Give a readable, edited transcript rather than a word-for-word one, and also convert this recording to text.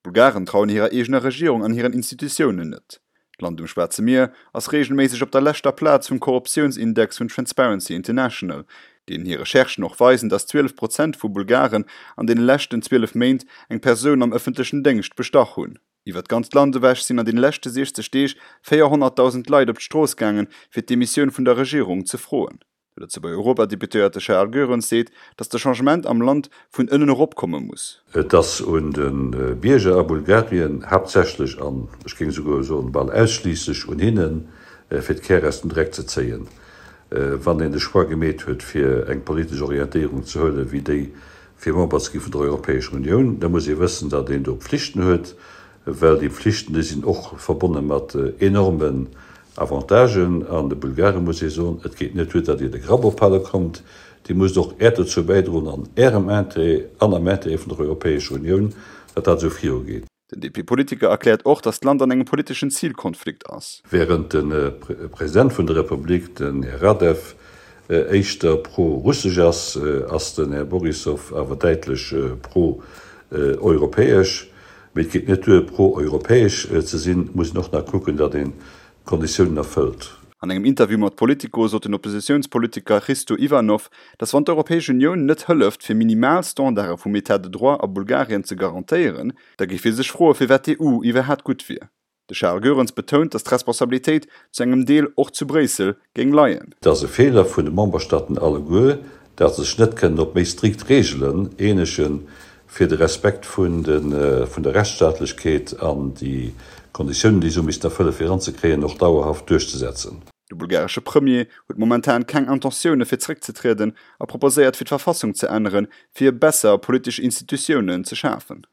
D'Bulgaren trauen hirer eegener Regierung an hiren Institutiounen net. D'Land um Schwaarze Mier ass reegelméisseg op der leschter Plaz vum Korruptiounsindex vun Transparency International, deenen hir Recherchen och weisen, datt 12 Prozent vu Bulgaren an deene leschten 12 Méint eng Persoun am ëffentlechen Déngscht bestach hunn. Iwwer d'ganzt Land ewech sinn an deene leschte 60 Deeg 400.000 Leit op d'Strooss gaangen, fir d'Demissioun vun der Regierung ze froen. De Lëtzebuerger Europadeputéierte Charles Goerens seet, datt de Changement am Land vun ënnen erop komme muss. Et ass un de Bierger a Bulgarien, haaptsächlech an ech géing esouguer soen bal ausschliisslech un hinnen, fir d'Kär aus dem Dreck ze zéien. Wann een de Choix gemeet huet fir eng politesch Orientéierung ze huelen, wéi déi fir Member ze gi vun der Europäescher Unioun, da muss ee wëssen, datt een do Pflichten huet, well déi Pflichten, déi sinn och verbonne mat enormen Avantagen. An de Bulgare muss ee soen, Et geet net duer, datt Dir de Grapp ophale kommt, Dir musst och Äert dozou bäidroen, an Ärem Interêt an am Interêt vun der Europäescher Unioun, datt dat esou virugeet. Den DP-Politiker erkläert och, datt d'Land an engem politeschen Zilkonflikt ass. Während de President vun der Republik, den Här Radew, éischter pro-russesch ass, ass den Här Borissow awer däitlech pro-europäesch. Mee et geet net duer, pro-europäesch ze sinn, et muss een och nach kucken, datt een d'Konditiounen erfëllt. An engem Interview mat Politico sot den Oppositiounspolitiker Hristo Ivanov, datt wann d'Europäesch Unioun net hëlleft, fir minimal Standarde vum Etat de droit a Bulgarien ze garantéieren, da géif hie sech froe firwat d'EU iwwerhaat gutt wier. De Charles Goerens betount, datt d'Responsabilitéit zu engem Deel och zu Bréissel géing leien. Et ass e Feeler vun de Memberstaaten alleguer, datt se sech net kënnen op méi strikt Reegelen eenegen, fir de Respekt vun der Rechtsstaatlechkeet an déi Konditiounen, déi se hu missten erfëllen, fir eranzekréien, och dauerhaft duerchzesetzen. De bulgaresche Premier huet momentan keng Intentioune fir zeréckzetrieden a proposéiert fir d'Verfassung ze änneren, fir besser politesch Institutiounen ze schafen.